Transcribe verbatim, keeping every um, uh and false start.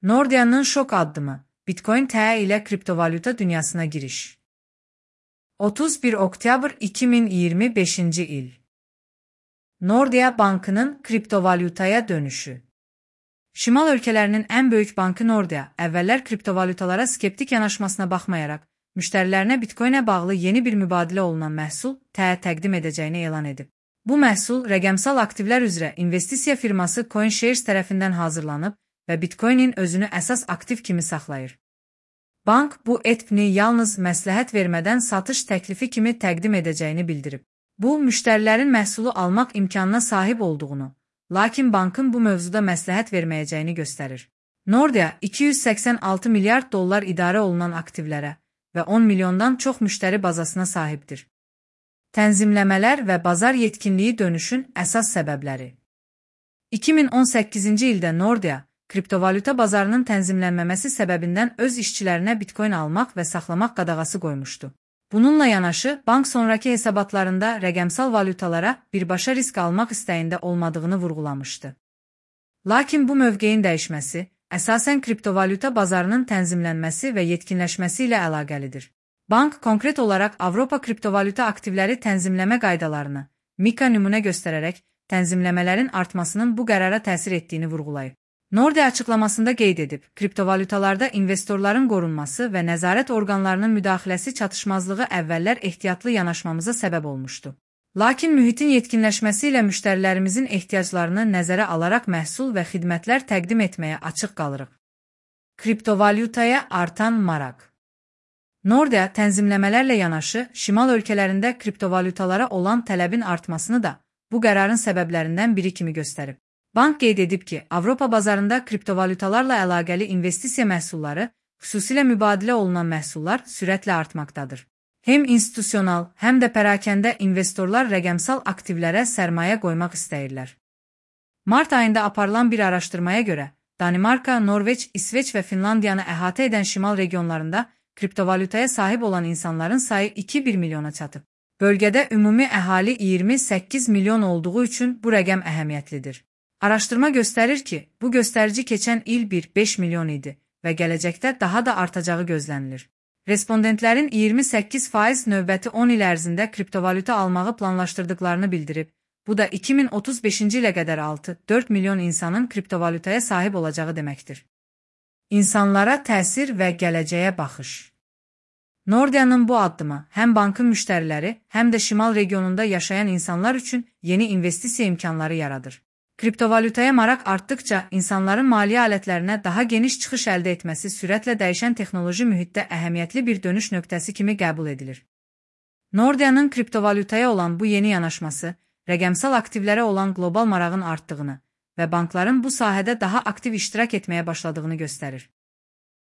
Nordea'nın şok addımı, Bitcoin T E ile kriptovalyuta dünyasına giriş. otuz bir Oktyabr iki bin yirmi beşinci il. Nordea Bankı'nın kriptovalyutaya dönüşü. Şimal ölkələrinin ən böyük bankı Nordea, əvvəllər kriptovalyutalara skeptik yanaşmasına baxmayaraq, müştərilərinə Bitcoin'ə bağlı yeni bir mübadilə olunan məhsul T E təqdim edəcəyini elan edib. Bu məhsul rəqəmsal aktivlər üzrə investisiya firması CoinShares tərəfindən hazırlanıb və Bitcoin'in özünü əsas aktiv kimi saxlayır. Bank bu E T P-ni yalnız məsləhət vermədən satış təklifi kimi təqdim edəcəyini bildirib. Bu, müştərilərin məhsulu almaq imkanına sahib olduğunu, lakin bankın bu mövzuda məsləhət verməyəcəyini göstərir. Nordea iki yüz səksən altı milyard dollar idarə olunan aktivlərə və on milyondan çox müştəri bazasına sahibdir. Tənzimləmələr və bazar yetkinliyi dönüşün əsas səbəbləri. iki min on səkkizinci ildə Nordea, kriptovalyuta bazarının tənzimlənməməsi səbəbindən öz işçilərinə Bitcoin almaq və saxlamaq qadağası qoymuşdu. Bununla yanaşı, bank sonraki hesabatlarında rəqəmsal valyutalara birbaşa risk almaq istəyində olmadığını vurğulamışdı. Lakin bu mövqeyin dəyişməsi, əsasən kriptovalyuta bazarının tənzimlənməsi və yetkinləşməsi ilə əlaqəlidir. Bank konkret olaraq Avropa kriptovalyuta aktivləri tənzimləmə qaydalarını, MiCA nümunə göstərərək, tənzimləmələrin artmasının bu qərara təsir etdiyini vurğulayıb. Nordea açıqlamasında qeyd edib, kriptovalyutalarda investorların qorunması və nəzarət orqanlarının müdaxiləsi çatışmazlığı əvvəllər ehtiyatlı yanaşmamıza səbəb olmuşdu. Lakin mühitin yetkinləşməsi ilə müştərilərimizin ehtiyaclarını nəzərə alaraq məhsul və xidmətlər təqdim etməyə açıq qalırıq. Kriptovalyutaya artan maraq. Nordea tənzimləmələrlə yanaşı, şimal ölkələrində kriptovalyutalara olan tələbin artmasını da bu qərarın səbəblərindən biri kimi göstərib. Bank qeyd edib ki, Avropa bazarında kriptovalyutalarla əlaqəli investisiya məhsulları, xüsusilə mübadilə olunan məhsullar sürətlə artmaqdadır. Həm institusional, həm də pərakəndə investorlar rəqəmsal aktivlərə sərmayə qoymaq istəyirlər. Mart ayında aparılan bir araşdırmaya görə, Danimarka, Norveç, İsveç və Finlandiyanı əhatə edən şimal regionlarında kriptovalyutaya sahib olan insanların sayı iki bir milyona çatıb. Bölgədə ümumi əhali iyirmi səkkiz milyon olduğu üçün bu rəqəm əhəmiyyətlidir. Araşdırma göstərir ki, bu göstərici keçən il bir beş milyon idi və gələcəkdə daha da artacağı gözlənilir. Respondentlərin iyirmi səkkiz faiz növbəti on il ərzində kriptovalyuta almağı planlaşdırdıqlarını bildirib, bu da iki min otuz beşinci ilə qədər altı dörd milyon insanın kriptovalyutaya sahib olacağı deməkdir. İnsanlara təsir və gələcəyə baxış. Nordea'nın bu addımı həm bankın müştəriləri, həm də şimal regionunda yaşayan insanlar üçün yeni investisiya imkanları yaradır. Kriptovalyutaya maraq artdıkca insanların maliyyə alətlərinə daha geniş çıxış əldə etməsi sürətlə dəyişən texnoloji mühitdə əhəmiyyətli bir dönüş nöqtəsi kimi qəbul edilir. Nordea'nın kriptovalyutaya olan bu yeni yanaşması, rəqəmsal aktivlərə olan qlobal marağın artdığını və bankların bu sahədə daha aktiv iştirak etməyə başladığını göstərir.